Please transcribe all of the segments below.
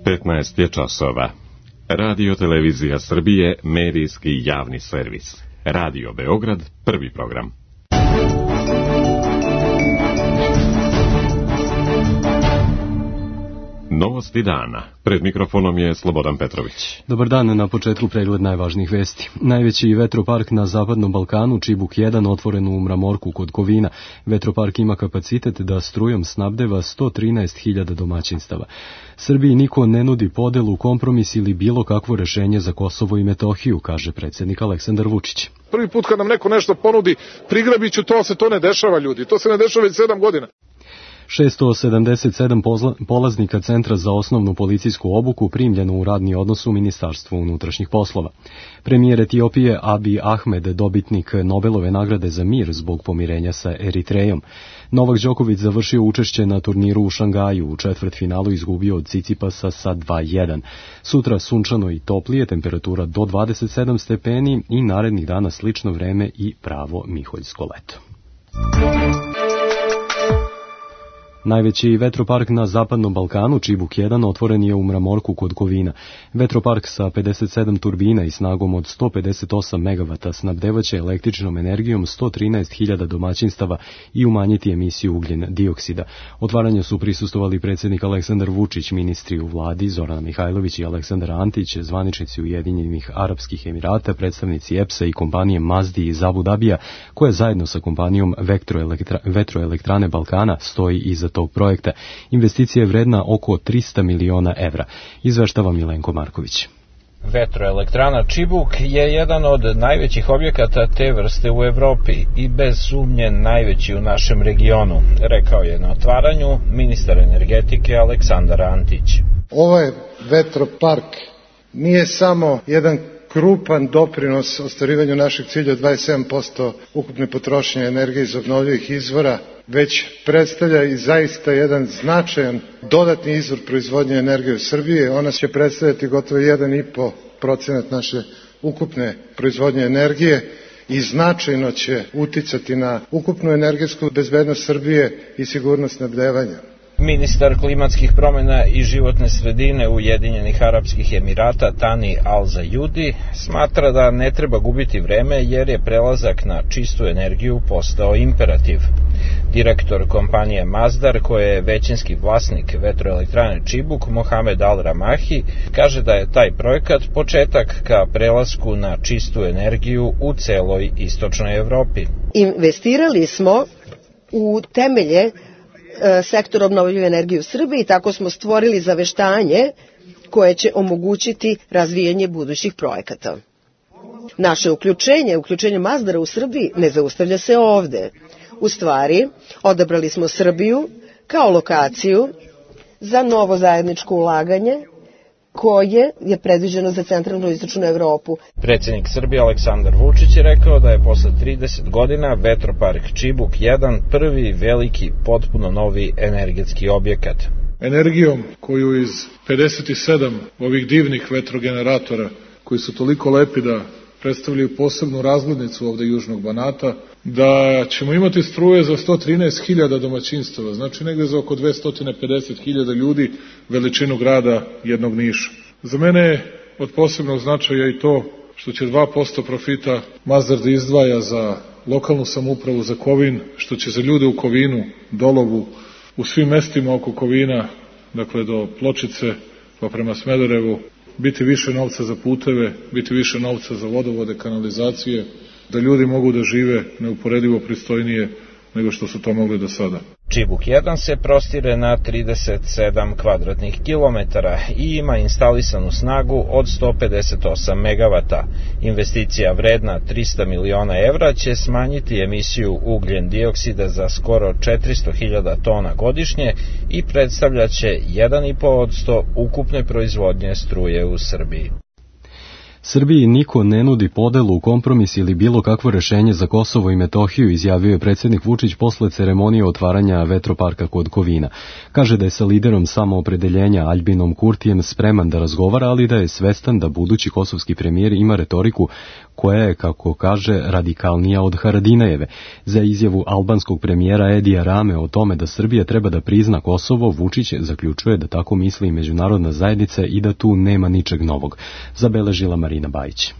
15 je časova. Radio Televizija Srbije, medijski javni servis. Radio Beograd, prvi program. Novosti dana. Pred mikrofonom je Slobodan Petrović. Dobar dan, na početku pregled najvažnijih vesti. Najveći vetropark na Zapadnom Balkanu, Čibuk 1, otvoren u Mramorku kod Kovina. Vetropark ima kapacitet da strujom snabdeva 113.000 domaćinstava. Srbiji niko ne nudi podelu, kompromis ili bilo kakvo rešenje za Kosovo i Metohiju, kaže predsjednik Aleksandar Vučić. Prvi put kad nam neko nešto ponudi, prigrabiću to, se to ne dešava, ljudi. To se ne dešava već 7 godina. 677 polaznika Centra za osnovnu policijsku obuku primljeno u radni odnos u Ministarstvu unutrašnjih poslova. Premijer Etiopije Abiy Ahmed, dobitnik Nobelove nagrade za mir zbog pomirenja sa Eritrejom. Novak Đoković završio učešće na turniru u Šangaju, u četvrtfinalu izgubio od Cicipasa sa 2:1. Sutra sunčano i toplije, temperatura do 27 stepeni i narednih dana slično vreme i pravo miholjsko leto. Najveći vetropark na Zapadnom Balkanu, Čibuk 1, otvoren je u Mramorku kod Kovina. Vetropark sa 57 turbina i snagom od 158 MW snabdevaće električnom energijom 113.000 domaćinstava i umanjiti emisiju ugljen dioksida. Otvaranju su prisustvovali predsjednik Aleksandar Vučić, ministri u vladi Zorana Mihajlović i Aleksandar Antić, zvaničnici Ujedinjenih Arapskih Emirata, predstavnici EPS-a i kompanije Mazdi iz Abu Dabija, koja zajedno sa kompanijom Vetroelektrane Balkana stoji iza tog projekta. Investicija je vredna oko 300 miliona evra. Izveštava Milenko Marković. Vetroelektrana Čibuk je jedan od najvećih objekata te vrste u Evropi i bez sumnje najveći u našem regionu, rekao je na otvaranju ministar energetike Aleksandar Antić. Ovaj vetropark nije samo jedan krupan doprinos ostvarivanju našeg cilja od 27% ukupne potrošnje energije iz obnovljivih izvora, već predstavlja i zaista jedan značajan dodatni izvor proizvodnje energije u Srbiji. Ona će predstavljati gotovo 1,5% naše ukupne proizvodnje energije i značajno će uticati na ukupnu energetsku bezbednost Srbije i sigurnost snabdevanja. Ministar klimatskih promjena i životne sredine Ujedinjenih Arapskih Emirata Tani Al Zayudi smatra da ne treba gubiti vreme jer je prelazak na čistu energiju postao imperativ. Direktor kompanije Mazdar, koja je većinski vlasnik vetroelektrane Čibuk, Mohamed Al Ramahi, kaže da je taj projekat početak ka prelasku na čistu energiju u celoj istočnoj Evropi. Investirali smo u temelje sektor obnovljive energije u Srbiji i tako smo stvorili zaveštanje koje će omogućiti razvijanje budućih projekata. Naše uključenje Mazdara u Srbiji ne zaustavlja se ovde. U stvari, odabrali smo Srbiju kao lokaciju za novo zajedničko ulaganje koje je predviđeno za centralnu i istočnu Evropu. Predsjednik Srbije Aleksandar Vučić je rekao da je posle 30 godina vetropark Čibuk 1 prvi veliki potpuno novi energetski objekat. Energijom koju iz 57 ovih divnih vetrogeneratora, koji su toliko lepi da predstavljaju posebnu razglednicu ovde Južnog Banata, da ćemo imati struje za 113.000 domaćinstava, znači negde za oko 250.000 ljudi, veličinu grada jednog Niša. Za mene je od posebnog značaja i to što će 2% profita Mazdar da izdvaja za lokalnu samoupravu, za Kovin, što će za ljude u Kovinu, Dolovu, u svim mestima oko Kovina, dakle do Pločice pa prema Smederevu, biti više novca za puteve, biti više novca za vodovode, kanalizacije, da ljudi mogu da žive neuporedivo pristojnije nego što su to mogli do sada. Čibuk 1 se prostire na 37 kvadratnih kilometara i ima instalisanu snagu od 158 MW. Investicija vredna 300 miliona evra će smanjiti emisiju ugljen dioksida za skoro 400.000 tona godišnje i predstavljaće 1,5% ukupne proizvodnje struje u Srbiji. Srbiji niko ne nudi podelu, kompromis ili bilo kakvo rešenje za Kosovo i Metohiju, izjavio je predsjednik Vučić posle ceremonije otvaranja vetroparka kod Kovina. Kaže da je sa liderom samoopredeljenja Aljbinom Kurtijem spreman da razgovara, ali da je svestan da budući kosovski premijer ima retoriku koja je, kako kaže, radikalnija od Haradinajeve. Za izjavu albanskog premijera Edija Rame o tome da Srbija treba da prizna Kosovo, Vučić zaključuje da tako misli i međunarodna zajednica i da tu nema ničeg novog. Zabeležila Marina Bajić.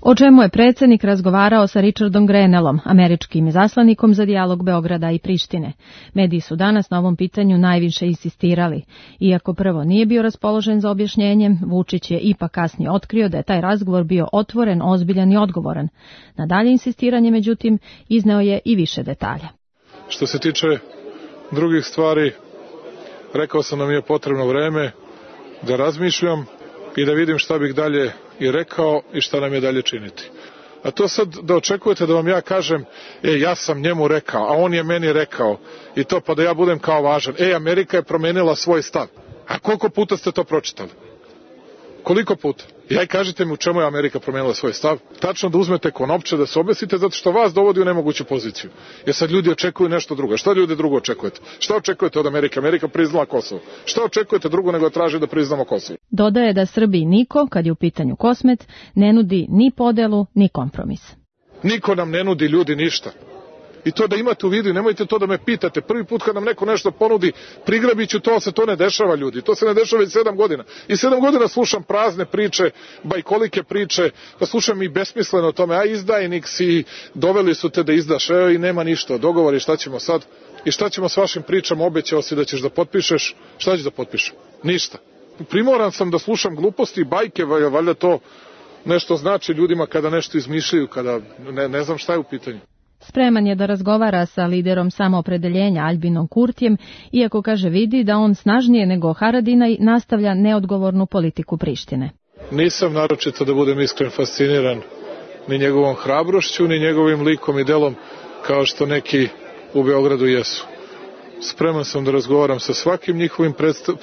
O čemu je predsjednik razgovarao sa Richardom Grenellom, američkim izaslanikom za dijalog Beograda i Prištine. Mediji su danas na ovom pitanju najviše insistirali. Iako prvo nije bio raspoložen za objašnjenjem, Vučić je ipak kasnije otkrio da je taj razgovor bio otvoren, ozbiljan i odgovoran. Na dalje insistiranje, međutim, izneo je i više detalja. Što se tiče drugih stvari, rekao sam da mi je potrebno vreme da razmišljam i da vidim šta bih dalje i rekao i šta nam je dalje činiti. A to sad da očekujete da vam ja kažem, ja sam njemu rekao, a on je meni rekao, i to pa da ja budem kao važan. Amerika je promenila svoj stav. A koliko puta ste to pročitali? Koliko puta? I kažete mi u čemu je Amerika promenila svoj stav? Tačno da uzmete konopče, da se obesite, zato što vas dovodi u nemoguću poziciju. Jer sad ljudi očekuju nešto drugo. Šta ljudi drugo očekujete? Šta očekujete od Amerike? Amerika priznala Kosovo. Šta očekujete drugo nego traži da priznamo Kosovo? Dodaje da Srbiji niko, kad je u pitanju Kosmet, ne nudi ni podelu, ni kompromis. Niko nam ne nudi, ljudi, ništa. I to da imate u vidu, nemojte to da me pitate. Prvi put kad nam neko nešto ponudi, prigrabiću to, se to ne dešava, ljudi. To se ne dešava već 7 godina. I 7 godina slušam prazne priče, bajkolike priče, pa slušam i besmisleno o tome, izdajnik si, doveli su te da izdaš, i nema ništa, dogovori, šta ćemo sad? I šta ćemo s vašim pričama, obećao si da ćeš da potpišeš, šta ćeš da potpišem? Ništa. Primoran sam da slušam gluposti i bajke, valjda to nešto znači ljudima kada nešto izmišljaju, kada ne znam šta je u pitanju. Spreman je da razgovara sa liderom samoopredeljenja Aljbinom Kurtijem, iako kaže vidi da on snažnije nego Haradinaj nastavlja neodgovornu politiku Prištine. Nisam naročito, da budem iskren, fasciniran ni njegovom hrabrošću, ni njegovim likom i delom, kao što neki u Beogradu jesu. Spreman sam da razgovaram sa svakim njihovim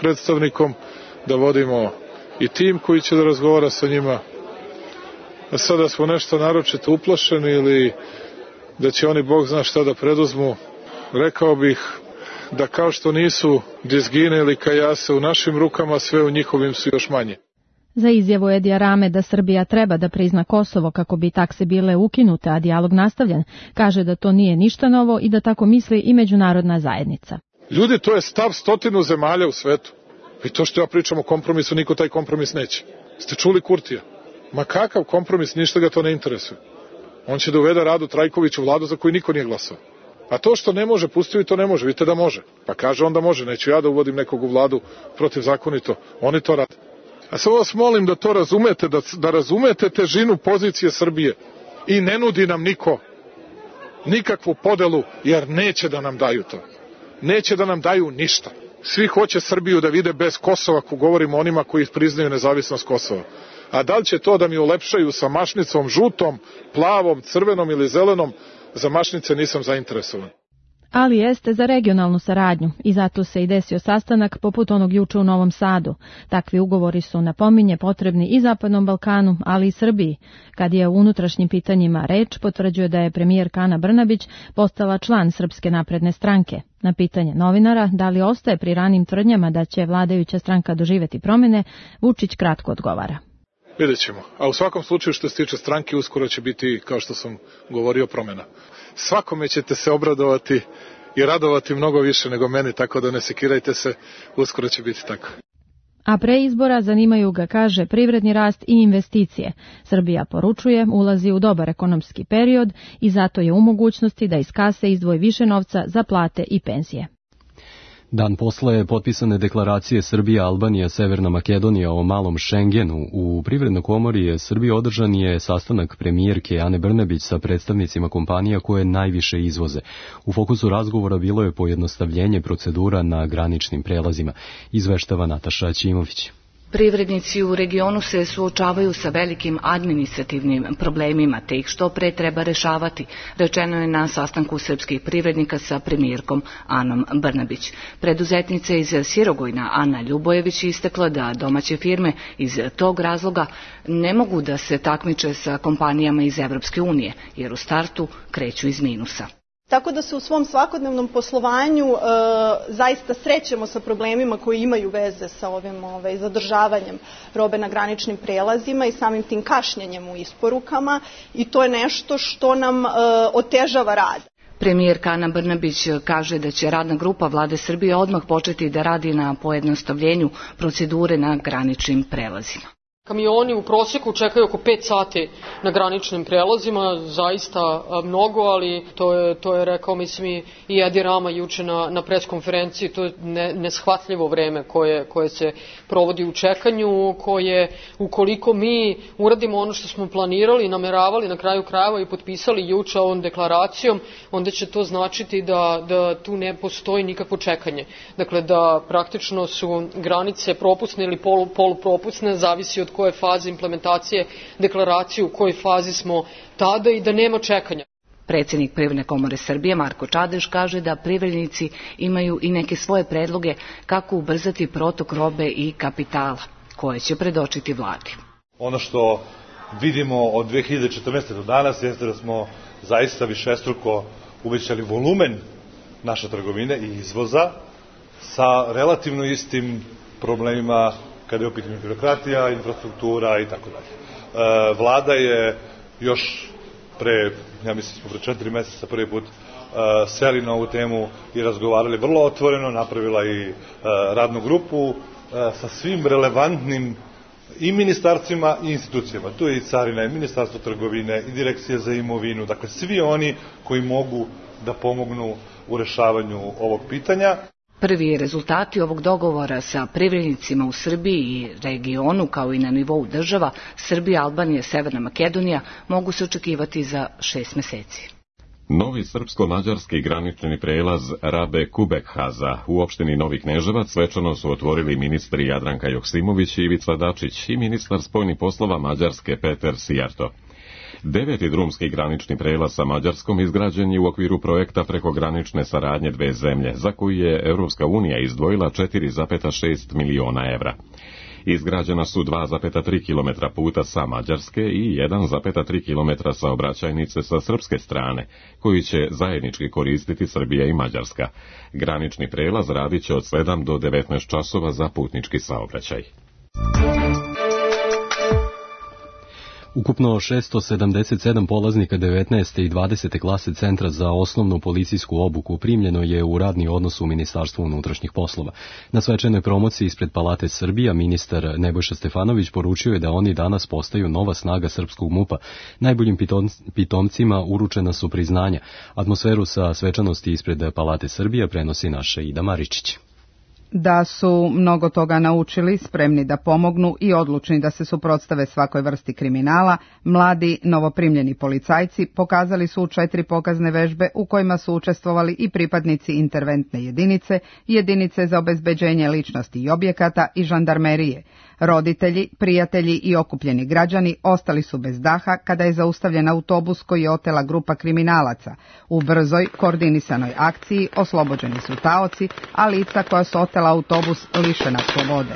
predstavnikom, da vodimo i tim koji će da razgovara sa njima. A sada smo nešto naročito uplašeni ili da će oni Bog zna šta da preduzmu, rekao bih da kao što nisu dizgine ili kajase u našim rukama, sve u njihovim su još manje. Za izjavu Edija Rame da Srbija treba da prizna Kosovo kako bi takse bile ukinute, a dijalog nastavljen, kaže da to nije ništa novo i da tako misli i međunarodna zajednica. Ljudi, to je stav 100 zemalja u svetu. I to što ja pričam o kompromisu, niko taj kompromis neće. Ste čuli Kurtija? Ma kakav kompromis, ništa ga to ne interesuje. On će da uvede Radu Trajković u vladu za koju niko nije glasao. A to što ne može, pustio i to ne može. Vidite da može. Pa kaže onda može. Neću ja da uvodim nekog u vladu protivzakonito. Oni to rade. A samo vas molim da to razumete, da razumete težinu pozicije Srbije. I ne nudi nam niko nikakvu podelu, jer neće da nam daju to. Neće da nam daju ništa. Svi hoće Srbiju da vide bez Kosova, ako govorimo o onima koji priznaju nezavisnost Kosova. A da li će to da mi ulepšaju sa mašnicom žutom, plavom, crvenom ili zelenom, za mašnice nisam zainteresovan. Ali jeste za regionalnu saradnju i zato se i desio sastanak poput onog juče u Novom Sadu. Takvi ugovori su, napominje, potrebni i Zapadnom Balkanu, ali i Srbiji. Kad je o unutrašnjim pitanjima reč, potvrđuje da je premijerka Ana Brnabić postala član Srpske napredne stranke. Na pitanje novinara da li ostaje pri ranim tvrdnjama da će vladajuća stranka doživjeti promjene, Vučić kratko odgovara. Vidjet ćemo. A u svakom slučaju što se tiče stranke, uskoro će biti, kao što sam govorio, promjena. Svakome ćete se obradovati i radovati mnogo više nego meni, tako da ne sekirajte se, uskoro će biti tako. A pre izbora zanimaju ga, kaže, privredni rast i investicije. Srbija, poručuje, ulazi u dobar ekonomski period i zato je u mogućnosti da iz kase izdvoji više novca za plate i penzije. Dan posle potpisane deklaracije Srbija, Albanija, Severna Makedonija o malom Šengenu, u Privrednoj komori Srbije održan je sastanak premijerke Ane Brnabić sa predstavnicima kompanija koje najviše izvoze. U fokusu razgovora bilo je pojednostavljenje procedura na graničnim prelazima, izveštava Nataša Ćimović. Privrednici u regionu se suočavaju sa velikim administrativnim problemima, te ih što pre treba rešavati, rečeno je na sastanku srpskih privrednika sa premijerkom Anom Brnabić. Preduzetnica iz Sirogojna Ana Ljubojević istakla da domaće firme iz tog razloga ne mogu da se takmiče sa kompanijama iz Evropske unije, jer u startu kreću iz minusa. Tako da se u svom svakodnevnom poslovanju zaista srećemo sa problemima koji imaju veze sa ovim zadržavanjem robe na graničnim prelazima i samim tim kašnjenjem u isporukama, i to je nešto što nam otežava rad. Premijerka Ana Brnabić kaže da će radna grupa Vlade Srbije odmah početi da radi na pojednostavljenju procedure na graničnim prelazima. Kamioni u prosjeku čekaju oko 5 sati na graničnim prelazima, zaista mnogo, ali to je rekao, mislim, i Edi Rama juče na preskonferenciji, to je neshvatljivo vreme koje se provodi u čekanju, koje, ukoliko mi uradimo ono što smo planirali, nameravali na kraju krajeva i potpisali juče ovom deklaracijom, onda će to značiti da tu ne postoji nikakvo čekanje. Dakle, da praktično su granice propusne ili polupropusne, zavisi od koje faze implementacije deklaracije, u kojoj fazi smo tada, i da nema čekanja. Predsjednik Privredne komore Srbije Marko Čadež kaže da privrednici imaju i neke svoje predloge kako ubrzati protok robe i kapitala, koje će predočiti vladi. Ono što vidimo od 2014. do danas jeste da smo zaista višestruko uvećali volumen naše trgovine i izvoza sa relativno istim problemima kada je u pitanju birokratija, infrastruktura i tako dalje. Vlada je još ja mislim smo pre 4 meseca prvi put seli na ovu temu i razgovarali vrlo otvoreno, napravila i radnu grupu sa svim relevantnim i ministarstvima i institucijama. Tu je i Carina, i Ministarstvo trgovine, i Direkcija za imovinu, dakle svi oni koji mogu da pomognu u rešavanju ovog pitanja. Prvi rezultati ovog dogovora sa privrednicima u Srbiji i regionu, kao i na nivou država, Srbija, Albanija, Severna Makedonija, mogu se očekivati za 6 meseci. Novi srpsko-mađarski granični prelaz Rabe-Kubekhaza u opštini Novi Kneževac svečano su otvorili ministri Jadranka Joksimović i Ivica Dačić i ministar spoljnih poslova Mađarske Peter Sijarto. 9. drumski granični prelaz sa Mađarskom izgrađen je u okviru projekta prekogranične saradnje dve zemlje, za koju je Europska unija izdvojila 4,6 miliona evra. Izgrađena su 2,3 km puta sa Mađarske i 1,3 km saobraćajnice sa srpske strane, koji će zajednički koristiti Srbija i Mađarska. Granični prelaz radit će od 7 do 19 časova za putnički saobraćaj. Ukupno 677 polaznika 19. i 20. klase Centra za osnovnu policijsku obuku primljeno je u radni odnos u Ministarstvu unutrašnjih poslova. Na svečanoj promociji ispred Palate Srbija ministar Nebojša Stefanović poručio je da oni danas postaju nova snaga srpskog MUP-a. Najboljim pitomcima uručena su priznanja. Atmosferu sa svečanosti ispred Palate Srbija prenosi naša Ida Maričić. Da su mnogo toga naučili, spremni da pomognu i odlučni da se suprotstave svakoj vrsti kriminala, mladi novoprimljeni policajci pokazali su 4 pokazne vežbe u kojima su učestvovali i pripadnici interventne jedinice, jedinice za obezbeđenje ličnosti i objekata i žandarmerije. Roditelji, prijatelji i okupljeni građani ostali su bez daha kada je zaustavljen autobus koji je otela grupa kriminalaca. U brzoj, koordinisanoj akciji oslobođeni su taoci, a lica koja su otela autobus lišena slobode.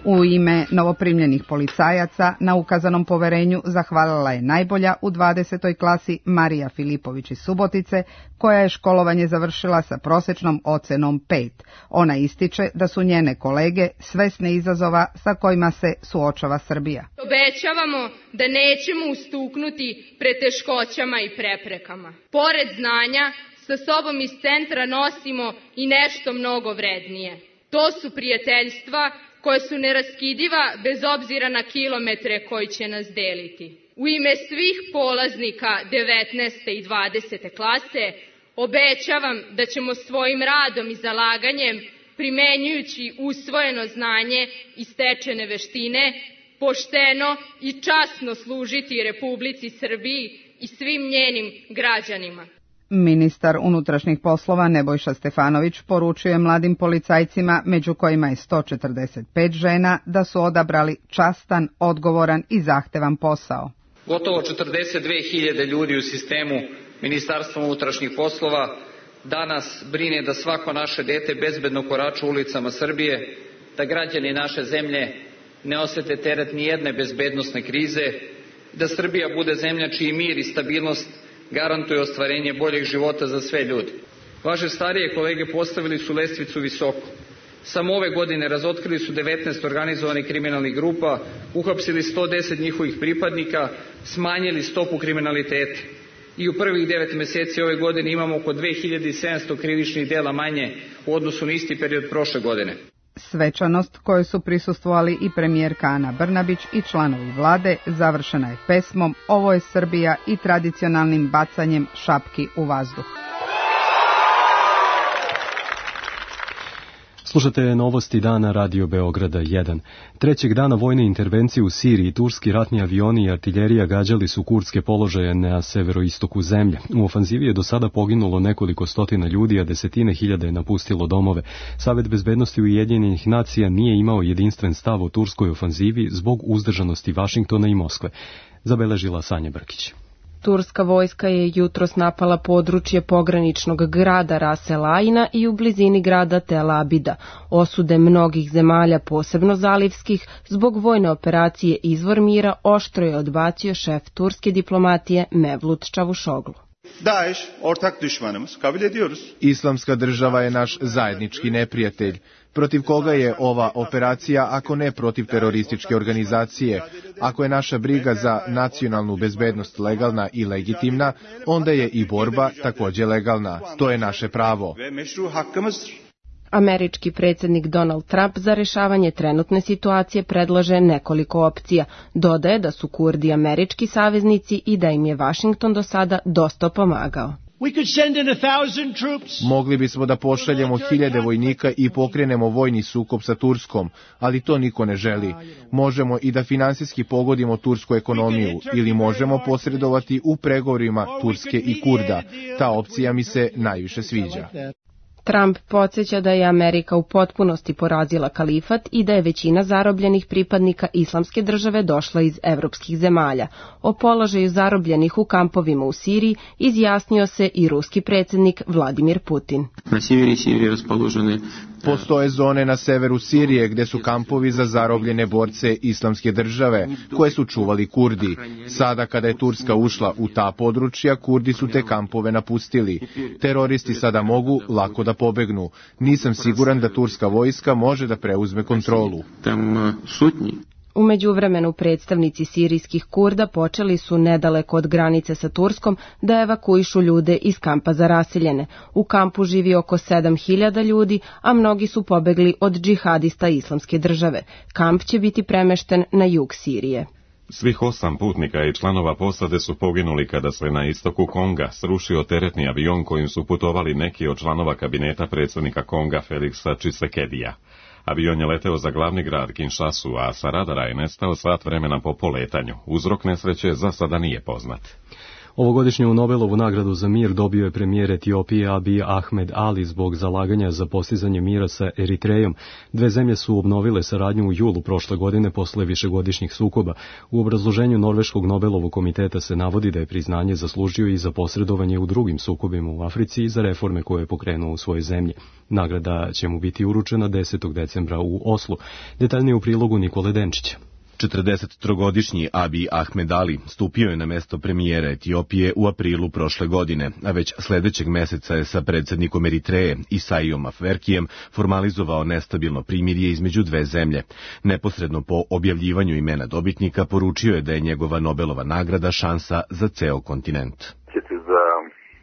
U ime novoprimljenih policajaca na ukazanom poverenju zahvalila je najbolja u 20. klasi Marija Filipović iz Subotice, koja je školovanje završila sa prosečnom ocenom 5. Ona ističe da su njene kolege svesne izazova sa kojima se suočava Srbija. Obećavamo da nećemo ustuknuti pred teškoćama i preprekama. Pored znanja, sa sobom iz centra nosimo i nešto mnogo vrednije. To su prijateljstva koja su neraskidiva bez obzira na kilometre koji će nas deliti. U ime svih polaznika 19. i 20. klase obećavam da ćemo svojim radom i zalaganjem, primenjujući usvojeno znanje i stečene veštine, pošteno i časno služiti Republici Srbiji i svim njenim građanima. Ministar unutrašnjih poslova Nebojša Stefanović poručuje mladim policajcima, među kojima je 145 žena, da su odabrali častan, odgovoran i zahtevan posao. Gotovo 42.000 ljudi u sistemu Ministarstva unutrašnjih poslova danas brine da svako naše dete bezbedno korača ulicama Srbije, da građani naše zemlje ne osete teret ni jedne bezbednosne krize, da Srbija bude zemlja čiji mir i stabilnost garantuje ostvarenje boljeg života za sve ljude. Vaše starije kolege postavili su lestvicu visoko. Samo ove godine razotkrili su 19 organizovanih kriminalnih grupa, uhapsili 110 njihovih pripadnika, smanjili stopu kriminaliteta. I u prvih 9 meseci ove godine imamo oko 2700 krivičnih dela manje u odnosu na isti period prošle godine. Svečanost kojoj su prisustvovali i premijerka Ana Brnabić i članovi vlade završena je pesmom Ovo je Srbija i tradicionalnim bacanjem šapki u vazduh. Slušate novosti dana Radio Beograda 1. Trećeg dana vojne intervencije u Siriji turski ratni avioni i artiljerija gađali su kurdske položaje na severoistoku zemlje. U ofanzivi je do sada poginulo nekoliko stotina ljudi, a desetine hiljada je napustilo domove. Savet bezbednosti Ujedinjenih nacija nije imao jedinstven stav o turskoj ofanzivi zbog uzdržanosti Vašingtona i Moskve. Zabeležila Sanja Brkić. Turska vojska je jutros napala područje pograničnog grada Ras El Aina i u blizini grada Tel Abida. Osude mnogih zemalja, posebno zalivskih, zbog vojne operacije Izvor mira oštro je odbacio šef turske diplomatije Mevlut Čavuşoglu. Daesh ortak düşmanımız, kabul ediyoruz. Islamska država je naš zajednički neprijatelj. Protiv koga je ova operacija ako ne protiv terorističke organizacije? Ako je naša briga za nacionalnu bezbednost legalna i legitimna, onda je i borba također legalna. To je naše pravo. Američki predsjednik Donald Trump za rešavanje trenutne situacije predlaže nekoliko opcija. Dodaje da su Kurdi američki saveznici i da im je Vašington do sada dosta pomagao. Mogli bismo da pošaljemo 1000 vojnika i pokrenemo vojni sukob sa Turskom, ali to niko ne želi. Možemo i da finansijski pogodimo tursku ekonomiju ili možemo posredovati u pregovorima Turske i Kurda. Ta opcija mi se najviše sviđa. Trump podsjeća da je Amerika u potpunosti porazila kalifat i da je većina zarobljenih pripadnika Islamske države došla iz evropskih zemalja. O položaju zarobljenih u kampovima u Siriji izjasnio se i ruski predsjednik Vladimir Putin. Na sjeveri Sirije raspoložene postoje zone na severu Sirije gdje su kampovi za zarobljene borce Islamske države, koje su čuvali Kurdi. Sada kada je Turska ušla u ta područja, Kurdi su te kampove napustili. Teroristi sada mogu lako da pobegnu. Nisam siguran da turska vojska može da preuzme kontrolu. U međuvremenu predstavnici sirijskih Kurda počeli su nedaleko od granice sa Turskom da evakuišu ljude iz kampa za raseljene. U kampu živi oko 7000 ljudi, a mnogi su pobegli od džihadista Islamske države. Kamp će biti premešten na jug Sirije. Svih 8 putnika i članova posade su poginuli kada se na istoku Konga srušio teretni avion kojim su putovali neki od članova kabineta predsjednika Konga Feliksa Čisekedija. Avion je leteo za glavni grad Kinshasu, a sa radara je nestao sat vremena po poletanju. Uzrok nesreće za sada nije poznat. Ovogodišnju Nobelovu nagradu za mir dobio je premijer Etiopije Abiy Ahmed Ali zbog zalaganja za postizanje mira sa Eritrejom. Dve zemlje su obnovile saradnju u julu prošle godine posle višegodišnjih sukoba. U obrazloženju Norveškog Nobelovog komiteta se navodi da je priznanje zaslužio i za posredovanje u drugim sukobima u Africi i za reforme koje je pokrenuo u svojoj zemlji. Nagrada će mu biti uručena 10. decembra u Oslu. Detaljnije u prilogu Nikole Denčića. 43-godišnji Abiy Ahmed Ali stupio je na mesto premijera Etiopije u aprilu prošle godine, a već sljedećeg meseca je sa predsjednikom Eritreje Isaiom Afwerkijem formalizovao nestabilno primirje između dve zemlje. Neposredno po objavljivanju imena dobitnika poručio je da je njegova Nobelova nagrada šansa za ceo kontinent.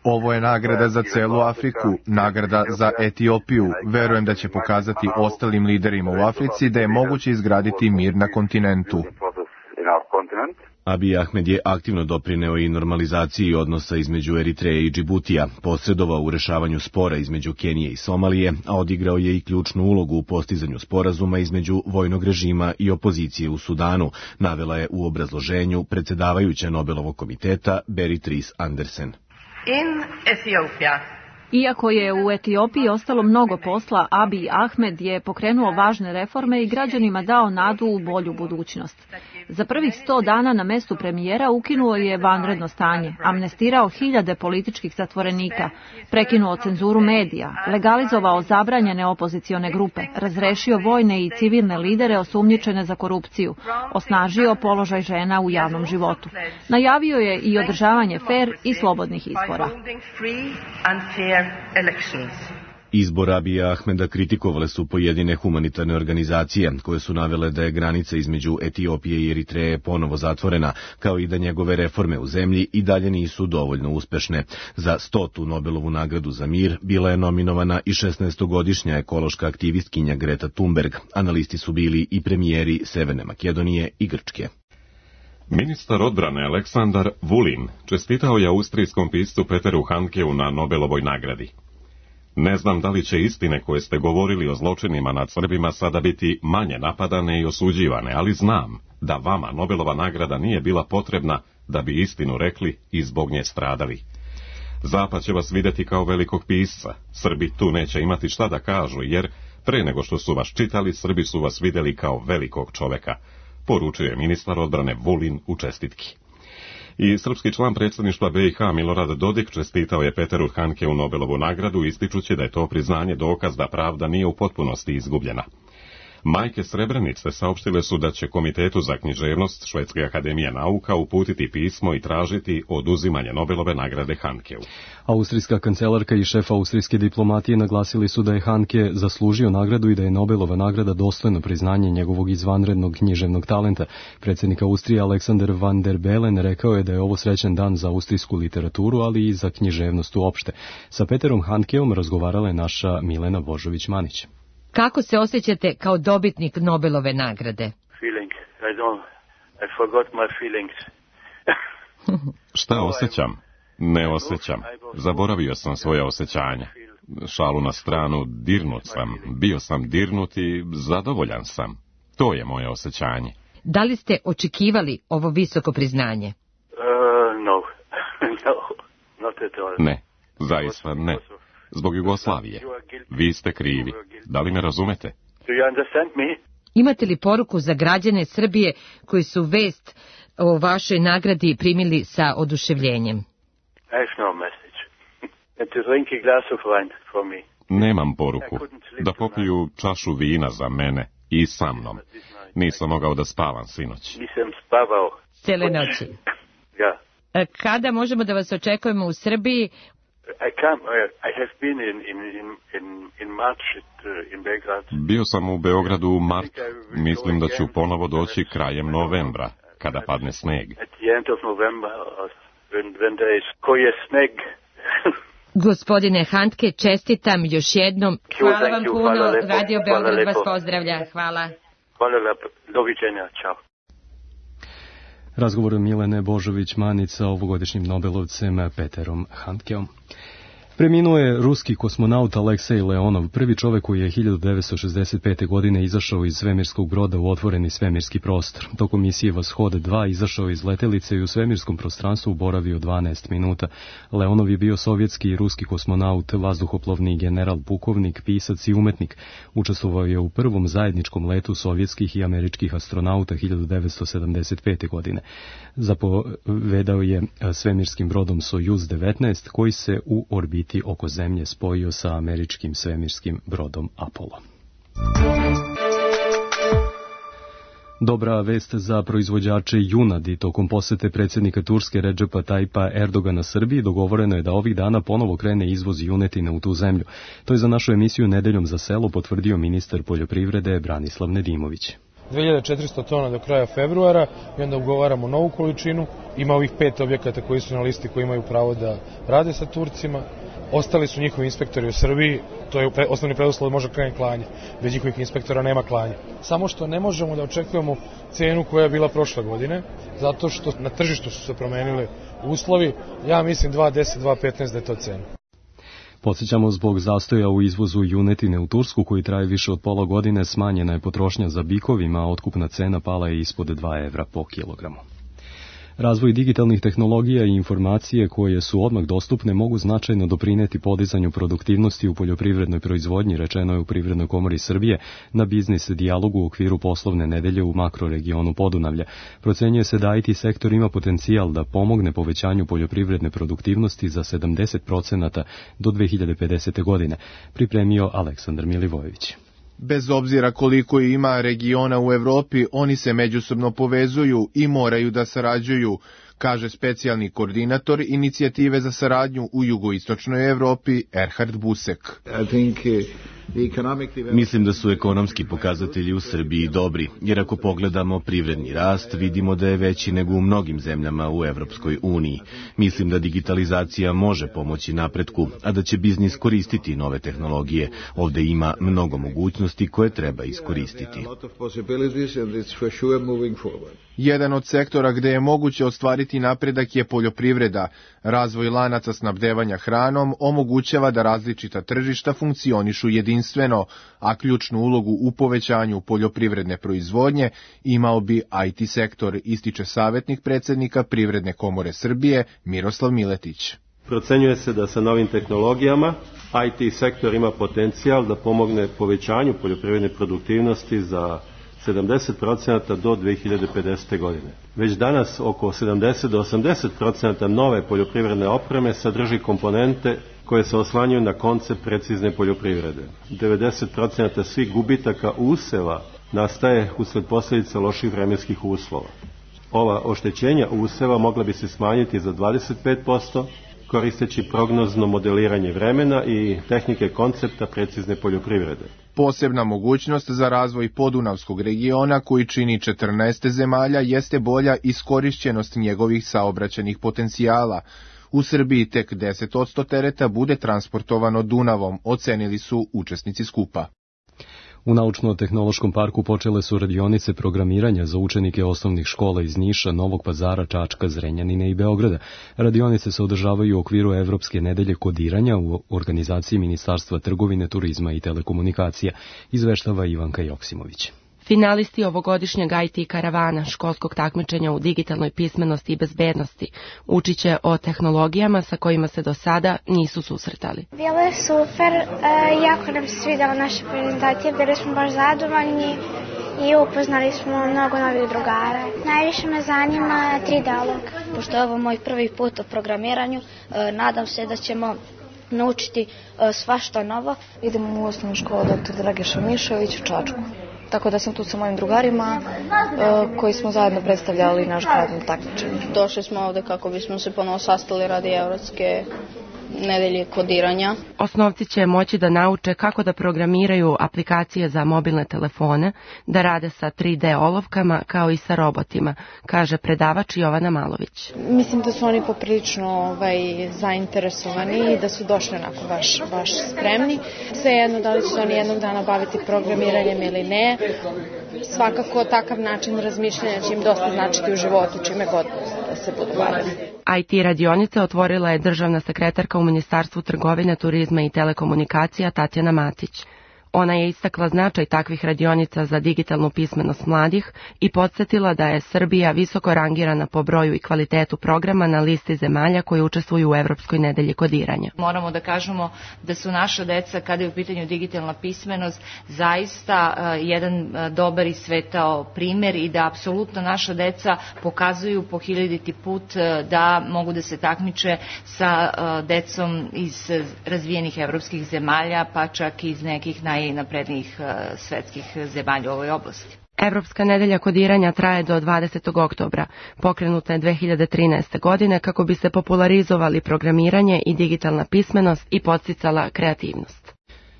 Ovo je nagrada za celu Afriku, nagrada za Etiopiju. Verujem da će pokazati ostalim liderima u Africi da je moguće izgraditi mir na kontinentu. Abiy Ahmed je aktivno doprineo i normalizaciji odnosa između Eritreje i Džibutija, posredovao u rešavanju spora između Kenije i Somalije, a odigrao je i ključnu ulogu u postizanju sporazuma između vojnog režima i opozicije u Sudanu, navela je u obrazloženju predsjedavajuća Nobelovog komiteta Berit Reiss Andersen. In Ethiopia. Iako je u Etiopiji ostalo mnogo posla, Abiy Ahmed je pokrenuo važne reforme i građanima dao nadu u bolju budućnost. Za prvih 100 dana na mestu premijera ukinuo je vanredno stanje, amnestirao hiljade političkih zatvorenika, prekinuo cenzuru medija, legalizovao zabranjene opozicione grupe, razrešio vojne i civilne lidere osumnjičene za korupciju, osnažio položaj žena u javnom životu. Najavio je i održavanje fer i slobodnih izbora. Izbor Abija Ahmeda kritikovale su pojedine humanitarne organizacije, koje su navele da je granica između Etiopije i Eritreje ponovo zatvorena, kao i da njegove reforme u zemlji i dalje nisu dovoljno uspešne. Za 100. Nobelovu nagradu za mir bila je nominovana i 16-godišnja ekološka aktivistkinja Greta Thunberg. Analisti su bili i premijeri Severne Makedonije i Grčke. Ministar odbrane Aleksandar Vulin čestitao je austrijskom piscu Peteru Handkeu na Nobelovoj nagradi. Ne znam da li će istine koje ste govorili o zločinima nad Srbima sada biti manje napadane i osuđivane, ali znam da vama Nobelova nagrada nije bila potrebna da bi istinu rekli i zbog nje stradali. Zapad će vas vidjeti kao velikog pisca. Srbi tu neće imati šta da kažu, jer pre nego što su vas čitali, Srbi su vas vidjeli kao velikog čoveka, poručuje ministar odbrane Vulin u čestitki. I srpski član predsjedništva BiH Milorad Dodik čestitao je Peteru Handkeu Nobelovu nagradu, ističući da je to priznanje dokaz da pravda nije u potpunosti izgubljena. Majke Srebrenice saopštile su da će Komitetu za književnost Švedske akademije nauka uputiti pismo i tražiti oduzimanje Nobelove nagrade Handkeu. Austrijska kancelarka i šef austrijske diplomatije naglasili su da je Handke zaslužio nagradu i da je Nobelova nagrada dostojno priznanje njegovog izvanrednog književnog talenta. Predsjednik Austrije Alexander van der Bellen rekao je da je ovo srećan dan za austrijsku literaturu, ali i za književnost uopšte. Sa Peterom Handkeom razgovarala je naša Milena Božović-Manić. Kako se osjećate kao dobitnik Nobelove nagrade? I forgot my feelings. Šta osjećam? Ne osjećam. Zaboravio sam svoje osjećanja. Šalu na stranu, dirnut sam. Bio sam dirnut i zadovoljan sam. To je moje osjećanje. Da li ste očekivali ovo visoko priznanje? Ne, zaista ne. Zbog Jugoslavije. Vi ste krivi. Da li me razumete? Imate li poruku za građane Srbije koji su vest o vašoj nagradi primili sa oduševljenjem? Nemam poruku. Da popiju čašu vina za mene i sa mnom. Nisam mogao da spavam sinoć. Nisam spavao. Cele noći. Kada možemo da vas očekujemo u Srbiji? Bio sam u Beogradu u martu. Mislim da ću ponovo doći krajem novembra, kada padne sneg. Gospodine Handke, čestitam još jednom. Hvala vam puno. Radio Beograd vas pozdravlja. Hvala. Hvala lepo. Doviđenja. Ćao. Razgovor Milene Božović-Manić sa ovogodišnjim Nobelovcem Peterom Handkeom. Preminuo je ruski kosmonaut Aleksej Leonov, prvi čovjek koji je 1965. godine izašao iz svemirskog broda u otvoreni svemirski prostor. Tokom misije Vashod 2 izašao iz letelice i u svemirskom prostranstvu boravio 12 minuta. Leonov je bio sovjetski i ruski kosmonaut, vazduhoplovni general, pukovnik, pisac i umetnik. Učestvovao je u prvom zajedničkom letu sovjetskih i američkih astronauta 1975. godine. Zapovedao je svemirskim brodom Sojuz 19 koji se u orbiti oko Zemlje spojio sa američkim svemirskim brodom Apollo. Dobra vest za proizvođače junadi. Tokom posete predsjednika Turske Redžepa Tajpa Erdogana Srbiji dogovoreno je da ovih dana ponovo krene izvoz junetine u tu zemlju. To je za našu emisiju Nedeljom za selo potvrdio ministar poljoprivrede Branislav Nedimović. 2400 tona do kraja februara i onda ugovaramo novu količinu. Ima ovih 5 objekata koji su na listi koji imaju pravo da rade sa Turcima. Ostali su njihovi inspektori u Srbiji, to je osnovni preduslov da može krenuti klanje. Bez njihovih inspektora nema klanja. Samo što ne možemo da očekujemo cenu koja je bila prošle godine, zato što na tržištu su se promenili uslovi. Ja mislim 2.10, 2.15 da je to cena. Podsjećamo, zbog zastoja u izvozu junetine u Tursku, koji traje više od pola godine, smanjena je potrošnja za bikovima, a otkupna cena pala je ispod 2 evra po kilogramu. Razvoj digitalnih tehnologija i informacije koje su odmah dostupne mogu značajno doprineti podizanju produktivnosti u poljoprivrednoj proizvodnji, rečeno je u Privrednoj komori Srbije na biznis dijalogu u okviru poslovne nedelje u makroregionu Podunavlja. Procenjuje se da IT sektor ima potencijal da pomogne povećanju poljoprivredne produktivnosti za 70% do 2050. godine, pripremio Aleksandar Milivojević. Bez obzira koliko ima regiona u Evropi, oni se međusobno povezuju i moraju da sarađuju, kaže specijalni koordinator inicijative za saradnju u jugoistočnoj Evropi Erhard Busek. Mislim da su ekonomski pokazatelji u Srbiji dobri, jer ako pogledamo privredni rast, vidimo da je veći nego u mnogim zemljama u Evropskoj uniji. Mislim da digitalizacija može pomoći napretku, a da će biznis koristiti nove tehnologije. Ovde ima mnogo mogućnosti koje treba iskoristiti. Jedan od sektora gde je moguće ostvariti napredak je poljoprivreda. Razvoj lanaca snabdevanja hranom omogućava da različita tržišta funkcionišu jedinstveno, a ključnu ulogu u povećanju poljoprivredne proizvodnje imao bi IT sektor, ističe savjetnik predsjednika Privredne komore Srbije Miroslav Miletić. Procenjuje se da sa novim tehnologijama IT sektor ima potencijal da pomogne povećanju poljoprivredne produktivnosti za 70% do 2050. godine. Već danas oko 70 do 80% nove poljoprivredne opreme sadrži komponente koje se oslanjaju na koncept precizne poljoprivrede. 90% svih gubitaka useva nastaje usled posljedica loših vremenskih uslova. Ova oštećenja useva mogla bi se smanjiti za 25%, koristeći prognozno modeliranje vremena i tehnike koncepta precizne poljoprivrede. Posebna mogućnost za razvoj podunavskog regiona, koji čini 14 zemalja, jeste bolja iskorišćenost njegovih saobraćajnih potencijala. U Srbiji tek 10% tereta bude transportovano Dunavom, ocenili su učesnici skupa. U Naučno-tehnološkom parku počele su radionice programiranja za učenike osnovnih škola iz Niša, Novog Pazara, Čačka, Zrenjanine i Beograda. Radionice se održavaju u okviru Evropske nedelje kodiranja u organizaciji Ministarstva trgovine, turizma i telekomunikacija, izveštava Ivanka Joksimović. Finalisti ovogodišnjeg IT karavana, školskog takmičenja u digitalnoj pismenosti i bezbednosti, učit će o tehnologijama sa kojima se do sada nisu susretali. Bilo je super, jako nam se svidjela naša prezentacija, bili smo baš zadovoljni i upoznali smo mnogo novih drugara. Najviše me zanima 3D-olog. Pošto je ovo moj prvi put u programiranju, nadam se da ćemo naučiti svašta novo. Idemo u osnovnu školu dr. Dragiša Mišović u Čačku. Tako da sam tu sa mojim drugarima koji smo zajedno predstavljali naš grad na takmičenju. Došli smo ovde kako bismo se ponovo sastali radi Evropske nedelje kodiranja. Osnovci će moći da nauče kako da programiraju aplikacije za mobilne telefone, da rade sa 3D olovkama kao i sa robotima, kaže predavač Jovana Malović. Mislim da su oni poprilično zainteresovani i da su došli onako baš spremni. Svejedno da li će se oni jednog dana baviti programiranjem ili ne. Svakako takav način razmišljanja će im dosta značiti u životu, čime god da se budu bavili. IT radionice otvorila je državna sekretarka u Ministarstvu trgovine, turizma i telekomunikacija Tatjana Matić. Ona je istakla značaj takvih radionica za digitalnu pismenost mladih i podsjetila da je Srbija visoko rangirana po broju i kvalitetu programa na listi zemalja koji učestvuju u Evropskoj nedelji kodiranja. Moramo da kažemo da su naša deca, kada je u pitanju digitalna pismenost, zaista jedan dobar i svetao primer i da apsolutno naša deca pokazuju po hiljaditi put da mogu da se takmiče sa decom iz razvijenih evropskih zemalja, pa čak iz nekih najnaprednijih svetskih zemalja u ovoj oblasti. Evropska nedelja kodiranja traje do 20. oktobra. Pokrenuta je 2013. godine kako bi se popularizovali programiranje i digitalna pismenost i podsticala kreativnost.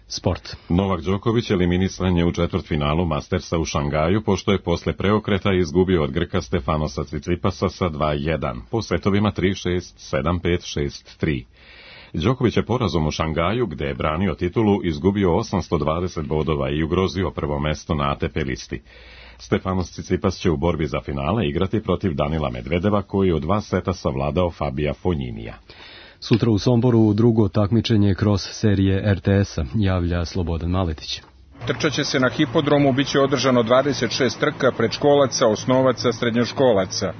Sport. Novak Đoković eliminisan je u četvrtfinalu Mastersa u Šangaju, pošto je posle preokreta izgubio od Grka Stefanosa Cicipasa sa 2-1, po setovima 3-6, 7-5, 6-3. Đoković je porazom u Šangaju, gde je branio titulu, izgubio 820 bodova i ugrozio prvo mesto na ATP listi. Stefanos Cicipas će u borbi za finale igrati protiv Danila Medvedeva, koji je u 2 seta savladao Fabija Fonjinija. Sutra u Somboru drugo takmičenje kroz serije RTS-a, javlja Slobodan Maletić. Trčaće se na hipodromu, biće održano 26 trka predškolaca, osnovaca, srednjoškolaca.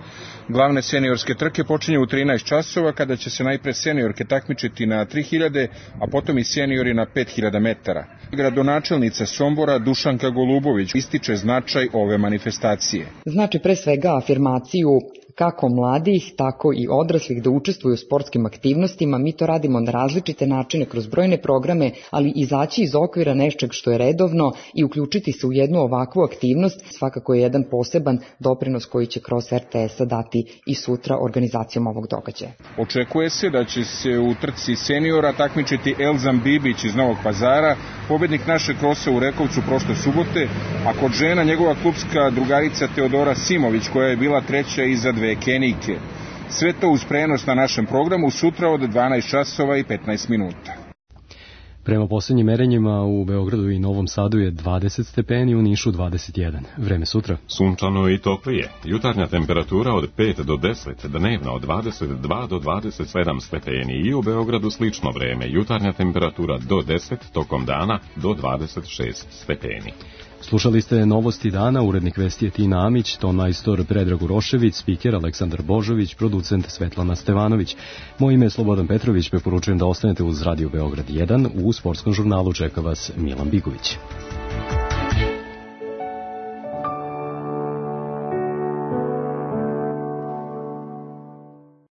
Glavne seniorske trke počinju u 13 časova, kada će se najpre seniorke takmičiti na 3000, a potom i seniori na 5000 metara. Gradonačelnica Sombora Dušanka Golubović ističe značaj ove manifestacije. Znači pre svega afirmaciju kako mladih, tako i odraslih da učestvuju u sportskim aktivnostima. Mi to radimo na različite načine kroz brojne programe, ali izaći iz okvira nečeg što je redovno i uključiti se u jednu ovakvu aktivnost svakako je jedan poseban doprinos koji će kroz RTS-a dati i sutra organizacijom ovog događaja. Očekuje se da će se u trci seniora takmičiti Elzam Bibić iz Novog Pazara, pobednik našeg krosa u Rekovcu prošle subote, a kod žena njegova klubska drugarica Teodora Simović koja je bila treća iza dve Kenijke. Sve to uz prenos na našem programu sutra od 12 časova i 15 minuta. Prema posljednjim merenjima u Beogradu i Novom Sadu je 20 stepeni, u Nišu 21. Vreme sutra. Sunčano i toplije. Jutarnja temperatura od 5 do 10, dnevna od 22 do 27 stepeni i u Beogradu slično vreme. Jutarnja temperatura do 10, tokom dana do 26 stepeni. Slušali ste Novosti dana, urednik vesti je Tina Amić, ton majstor Predrag Urošević, spiker Aleksandar Božović, producent Svetlana Stevanović. Moje ime je Slobodan Petrović, preporučujem da ostanete uz Radio Beograd 1, u sportskom žurnalu čeka vas Milan Bigović.